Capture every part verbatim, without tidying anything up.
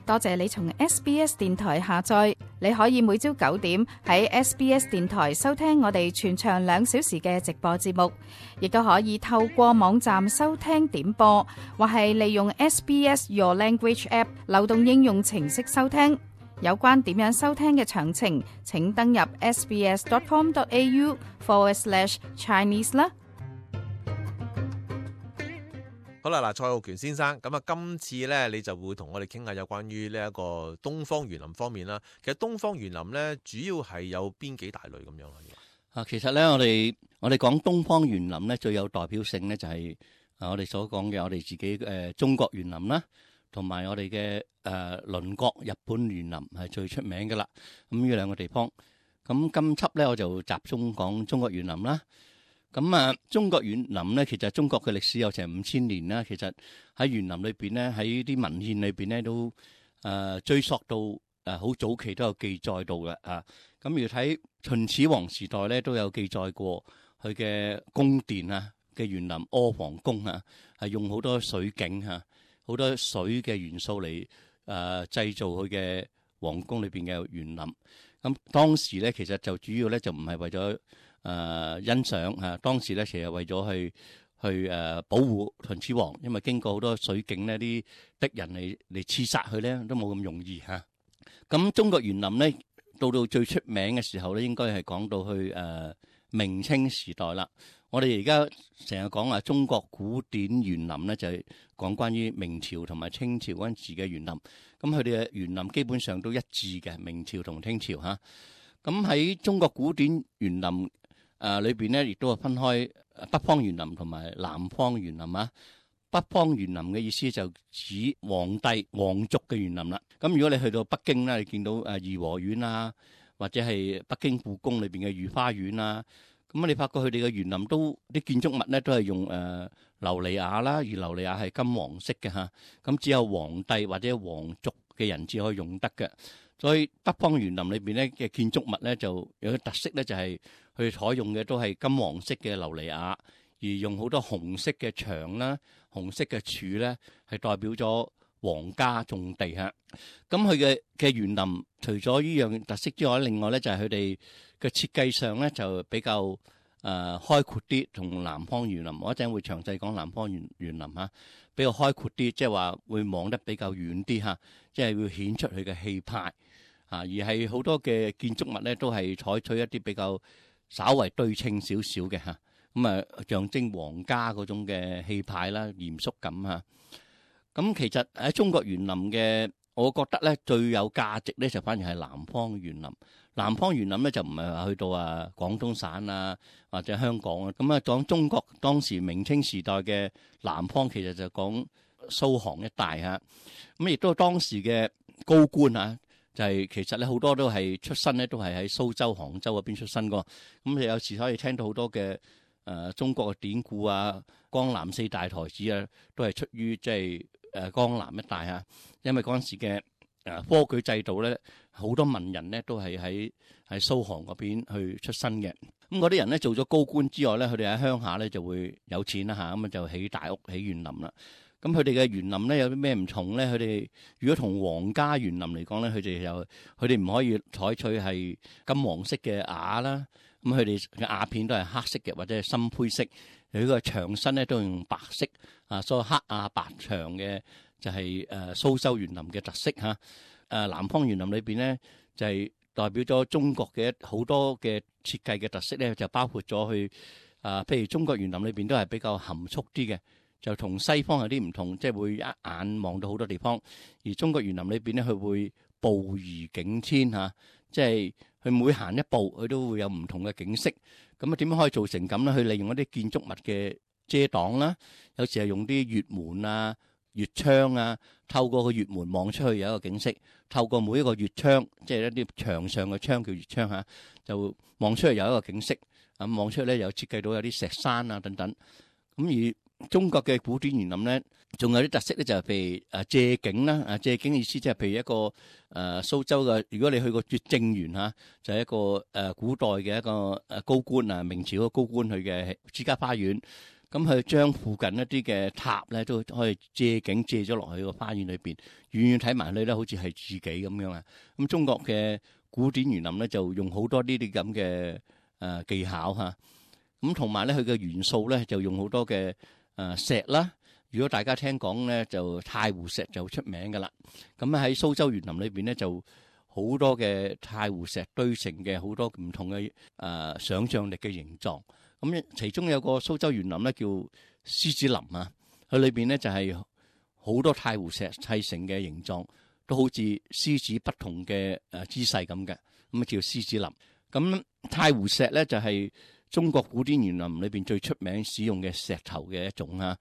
多謝你從 S B S 電台下載，你可以每朝九點喺 S B S 電台收聽我哋全長兩小時嘅直播節目，亦都可以透過網站收聽點播，或係利用 S B S Your Language App 流動應用程式收聽。有關點樣收聽嘅詳情，請登入 sbs.com.au forward slash Chinese 啦。好啦，嗱，蔡浩權先生，咁啊，今次咧你就會同我哋傾下有關於呢一個東方園林方面啦。其實東方園林咧，主要係有邊幾大類咁樣啊？啊，其實咧，我哋我哋講東方園林咧，最有代表性咧就係啊，我哋所講嘅我哋自己誒中國園林啦，同埋我哋嘅誒鄰國日本園林係最出名㗎啦。咁呢兩個地方，咁今輯咧我就集中講中國園林啦。咁啊，中國園林咧，其實中國嘅歷史有成五千年啦。其實喺園林裏邊咧，喺啲文獻裏邊咧，都誒追溯到誒好早期都有記載到嘅啊。咁要睇秦始皇時代咧，都有記載過佢嘅宮殿啊嘅園林阿房宮啊，係用好多水景嚇，好多水嘅元素嚟誒製造佢嘅皇宮裏邊嘅園林。咁當時咧，其實就主要咧就唔係為咗誒、呃、欣賞嚇、啊，當時咧其實為咗去去誒、呃、保護秦始皇，因為經過好多水境呢，啲敵人嚟嚟刺殺佢咧都冇咁容易嚇。咁、啊、中國園林咧到到最出名嘅時候咧，應該係講到去誒、呃、明清時代啦。我哋而家成日講話中國古典園林咧，就係、是、講關於明朝同埋清朝嗰陣時嘅園林。咁佢哋嘅園林基本上都一致嘅，明朝同清朝嚇。咁、啊、喺中國古典園林誒裏邊咧，亦都係分開北方園林同埋南方園林啊。北方園林嘅意思就指皇帝皇族嘅園林啦。咁如果你去到北京咧，你見到誒頤和園啊，或者係北京故宮裏邊嘅御花園啊，咁你發覺佢哋嘅園林都啲建築物咧都係用誒琉璃瓦啦，而琉璃瓦係金黃色嘅嚇。咁只有皇帝或者皇族嘅人至可以用得嘅。所以北方園林裏邊咧嘅建築物咧就有個特色咧，就係佢採用嘅都係金黃色嘅琉璃瓦，而用好多紅色嘅牆啦、紅色嘅柱咧，係代表咗皇家種地嚇。咁佢嘅嘅園林除咗呢樣特色之外，另外咧就係佢哋嘅設計上咧就比較誒、呃、開闊啲，同南方園林我一陣會詳細講南方園園林嚇，比較開闊啲，即係話會望得比較遠啲嚇，即係會顯出佢嘅氣派。啊！而係好多嘅建築物咧，都係採取一啲比較稍為對稱少少嘅嚇，咁啊象徵皇家嗰種嘅氣派啦、嚴肅感嚇。咁其實喺中國園林嘅，我覺得咧最有價值咧就反而係南方園林。南方園林咧就唔係話去到啊廣東省啊或者香港啊，咁啊講中國當時明清時代嘅南方，其實就講蘇杭一帶嚇。咁亦都當時嘅高官啊。就係其實咧好多都係出身咧，都係喺蘇州、杭州嗰邊出身噶。咁你有時可以聽到好多嘅誒、呃、中國嘅典故啊，江南四大才子啊，都係出於即係誒江南一帶啊。因為嗰陣時嘅誒科舉制度咧，好多文人咧都係喺喺蘇杭嗰邊去出身嘅。咁嗰啲人咧做咗高官之外咧，佢哋喺鄉下咧就會有錢啦嚇，咁啊就起大屋、起園林啦。咁佢哋嘅園林咧有啲咩唔同咧？佢哋如果同皇家園林嚟講咧，佢哋又佢哋唔可以採取係金黃色嘅瓦啦。咁佢哋嘅瓦片都係黑色嘅或者係深灰色。佢個牆身咧都用白色啊，所以黑啊白牆嘅就係誒蘇州園林嘅特色嚇。誒南方園林裏邊咧就係代表咗中國嘅好多嘅設計嘅特色咧，就包括咗去啊，譬如中國園林裏邊都係比較含蓄啲嘅。就同西方有啲唔同，即係會一眼望到好多地方。而中國園林裏邊咧，佢會步移景天嚇，即係佢每行一步，佢都會有唔同嘅景色。咁啊，點樣可以做成咁咧？去利用一啲建築物嘅遮擋啦，有時係用啲月門啊、月窗啊，透過個月門望出去有一個景色，透過每一個月窗，即係一啲牆上嘅窗叫月窗嚇，就望出去有一個景色。咁望出去咧，又設計到有啲石山啊等等。咁而中國嘅古典園林咧，仲有啲特色咧，就係譬如誒借景啦，啊借景嘅意思即係譬如一個誒、呃、蘇州嘅，如果你去過拙政園嚇，就係、是、一個誒、呃、古代嘅一個誒高官啊，明朝嘅高官去嘅私家花園。咁佢將附近一啲嘅塔咧都可以借景借咗落去個花園裏邊，遠遠睇埋去咧好似係自己咁樣啊。咁中國嘅古典園林咧就用好多呢啲咁嘅誒技巧嚇，咁同埋咧佢嘅元素咧就用好多嘅誒石啦。如果大家聽講咧，就太湖石就出名噶啦。咁喺蘇州園林裏邊咧就好多嘅太湖石堆成嘅好多唔同嘅誒、呃、想像力嘅形狀。咁其中有個蘇州園林咧叫獅子林啊，佢裏邊咧就係、是、好多太湖石砌成嘅形狀，都好似獅子不同嘅誒姿勢咁嘅，咁啊叫獅子林。咁太湖石咧就係、是、中國古典園林裏邊最出名使用嘅石頭嘅一種啊。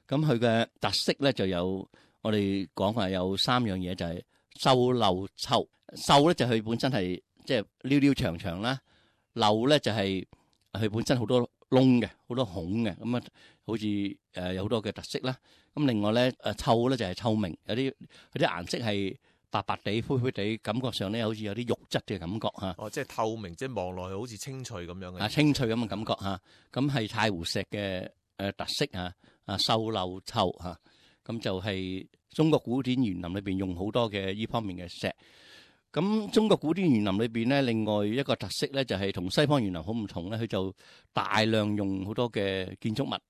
咁佢嘅特色咧就有我哋講話有三樣嘢，就係秀漏湊。秀咧就佢本身係即係溜溜長長啦，漏咧就係佢本身好多窿嘅，好多孔嘅，咁啊好似誒有好多嘅特色啦。咁另外咧誒湊咧就係透明，有啲佢啲顏色係白白地、灰灰地，感覺上咧好似有啲肉質嘅感覺嚇。哦，即係透明，即係望落去好似清脆咁樣嘅。啊，清脆咁嘅感覺嚇，咁係太湖石嘅誒特色嚇。啊，秀漏湊嚇，咁就係中國古典園林裏邊用好多嘅呢方面嘅石。咁中國古典園林裏邊咧，另外一個特色咧就係同西方園林好唔同咧，佢就大量用好多嘅建築物。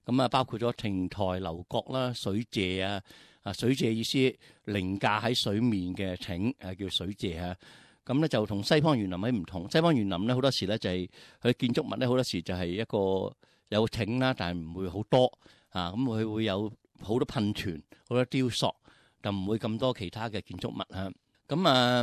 咁啊，包括咗亭台樓閣啦、水榭啊，啊水榭意思凌駕喺水面嘅亭，誒叫水榭啊。咁咧就同西方園林喺唔同，西方園林咧好多時咧就係佢建築物咧好多時就係一個有亭啦，但係唔會好多。啊，咁佢會有好多噴泉、好多雕塑，就唔會咁多其他嘅建築物嚇。咁啊，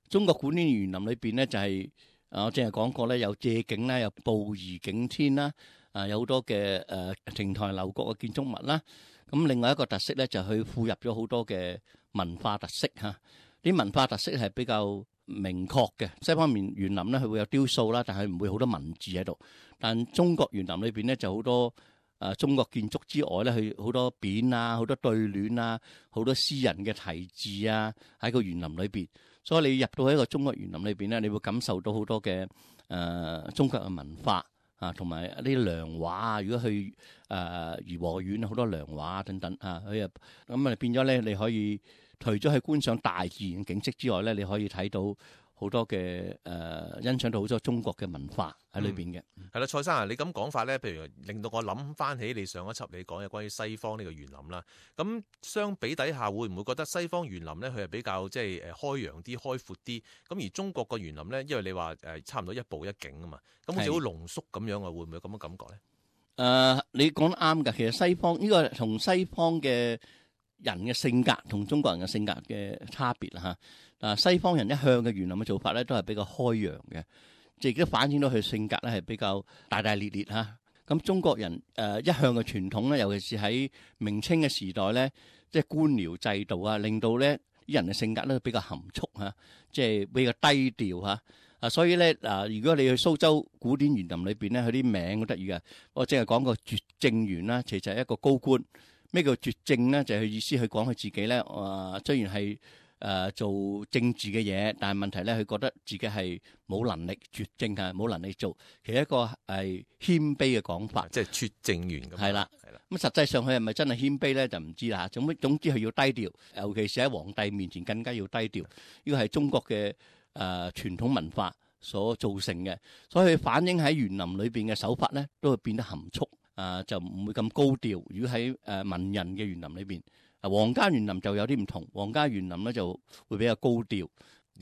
中國古典園林裏邊咧就係、是，啊我正係講過咧，有借景啦，有步移景天啦，啊有好多嘅誒亭台樓閣嘅建築物啦。咁另外一個特色咧就係佢附入咗好多嘅文化特色嚇。啲文化特色係比較明確嘅。西方面園林咧佢會有雕塑啦，但係唔會好多文字喺度。但中國園林裏邊咧就好多。誒中國建築之外咧，佢好多匾啊，好多對聯啊，好多詩人嘅題字啊，喺個園林裏邊。所以你入到一個中國園林裏邊咧，你會感受到好多嘅誒、呃、中國嘅文化啊，同埋一啲良畫啊。如果去誒頤和園好多良畫啊等等啊，佢啊咁啊變咗咧，你可以除咗去觀賞大自然景色之外咧，你可以睇到好多嘅誒、呃、欣賞到好多中國嘅文化喺裏邊嘅。係啦、嗯，蔡生啊，你咁講法咧，譬如令到我諗翻起你上一輯你講嘅關於西方呢個園林啦。咁相比底下，會唔會覺得西方園林咧，佢係比較即係誒開揚啲、開闊啲？咁而中國個園林咧，因為你話誒差唔多一步一景啊嘛，咁好似好濃縮咁樣啊，會唔會有咁嘅感覺咧？誒、呃，你講得啱㗎。其實西方呢、呢個同西方嘅人嘅性格同中國人嘅性格嘅差別啦嚇。啊，西方人一向嘅園林嘅做法咧，都係比較開揚嘅，亦都反映到佢性格咧係比較大大咧咧嚇。咁中國人誒一向嘅傳統咧，尤其是喺明清嘅時代咧，即係官僚制度啊，令到咧啲人嘅性格咧比較含蓄嚇，即係比較低調嚇。啊，所以咧嗱，如果你去蘇州古典園林裏邊咧，佢啲名好得意嘅。我淨係講個拙政園啦，其實係一個高官。咩叫拙政咧？就係佢意思，佢講佢自己咧，啊雖然係。誒、呃、做政治嘅嘢，但係問題咧，佢覺得自己係冇能力拙政啊，冇能力做。其實一個係謙卑嘅講法，即係拙政園咁。係啦，係啦。咁實際上佢係咪真係謙卑咧？就唔知啦。總總之佢要低調，尤其是喺皇帝面前更加要低調。呢個係中國嘅誒、呃、傳統文化所造成嘅，所以佢反映喺園林裏邊嘅手法咧，都會變得含蓄啊、呃，就唔會咁高調。如果喺誒、呃、文人嘅園林裏邊。啊，皇家園林就有啲唔同，皇家園林咧就會比較高調，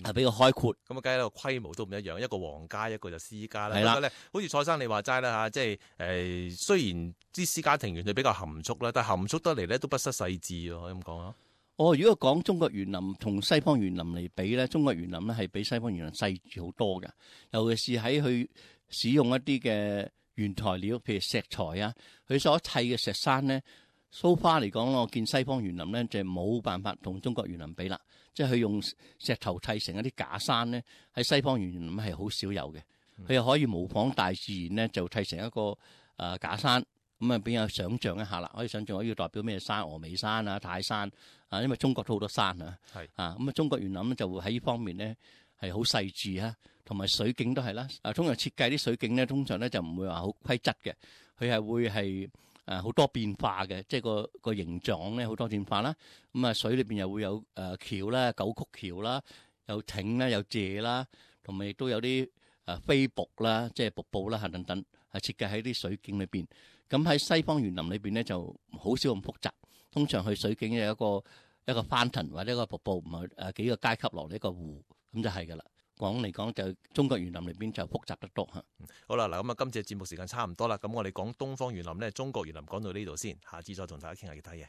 係比較開闊。咁啊，梗係個規模都唔一樣，一個皇家，一個就私家啦。係啦，不過咧，好似蔡生你話齋啦嚇，即係誒、呃，雖然啲私家庭園就比較含蓄啦，但係含蓄得嚟咧都不失細緻喎，可以咁講啊。哦，如果講中國園林同西方園林嚟比咧，中國園林咧係比西方園林細緻好多嘅，尤其是喺佢使用一啲嘅原材料，譬如石材啊，佢所砌嘅石山咧。蘇花嚟講，我見西方園林咧就冇辦法同中國園林比啦。即係佢用石頭砌成一啲假山咧，喺西方園林係好少有嘅。佢又可以模仿大自然咧，就砌成一個誒、呃、假山，咁啊俾人想像一下啦。可以想像我要代表咩山？峨眉山啊、泰山啊，因為中國都好多山啊。係啊，咁啊中國園林咧就會喺呢方面咧係好細緻啊，同埋水景都係啦。啊，通常設計啲水景咧，通常咧就唔會話好規則嘅，佢係會係。誒好多變化嘅，即係個個形狀咧好多變化啦。咁啊水裏邊又會有誒橋啦、九曲橋啦，有艇啦、有柘啦，同埋亦都有啲誒飛瀑啦，即係瀑布啦嚇等等，係設計喺啲水景裏邊。咁喺西方園林裏邊咧就好少咁複雜，通常去水景有一個一個翻騰或者一個瀑布，唔係誒幾個階級落嚟一個湖，咁就係㗎啦。講嚟講就中國園林裏邊就複雜得多嚇。好啦，嗱咁啊，今次節目時間差唔多啦，咁我哋講東方園林咧，中國園林講到呢度先，下次再同大家傾下其他嘢。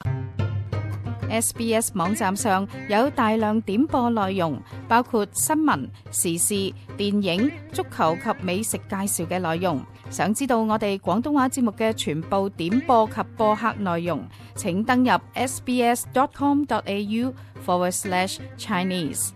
S B S 網站上有大量點播內容，包括新聞、時事、電影、足球及美食介紹嘅內容。想知道我哋廣東話節目嘅全部點播及播客內容，請登入 sbs dot com dot a u forward slash Chinese。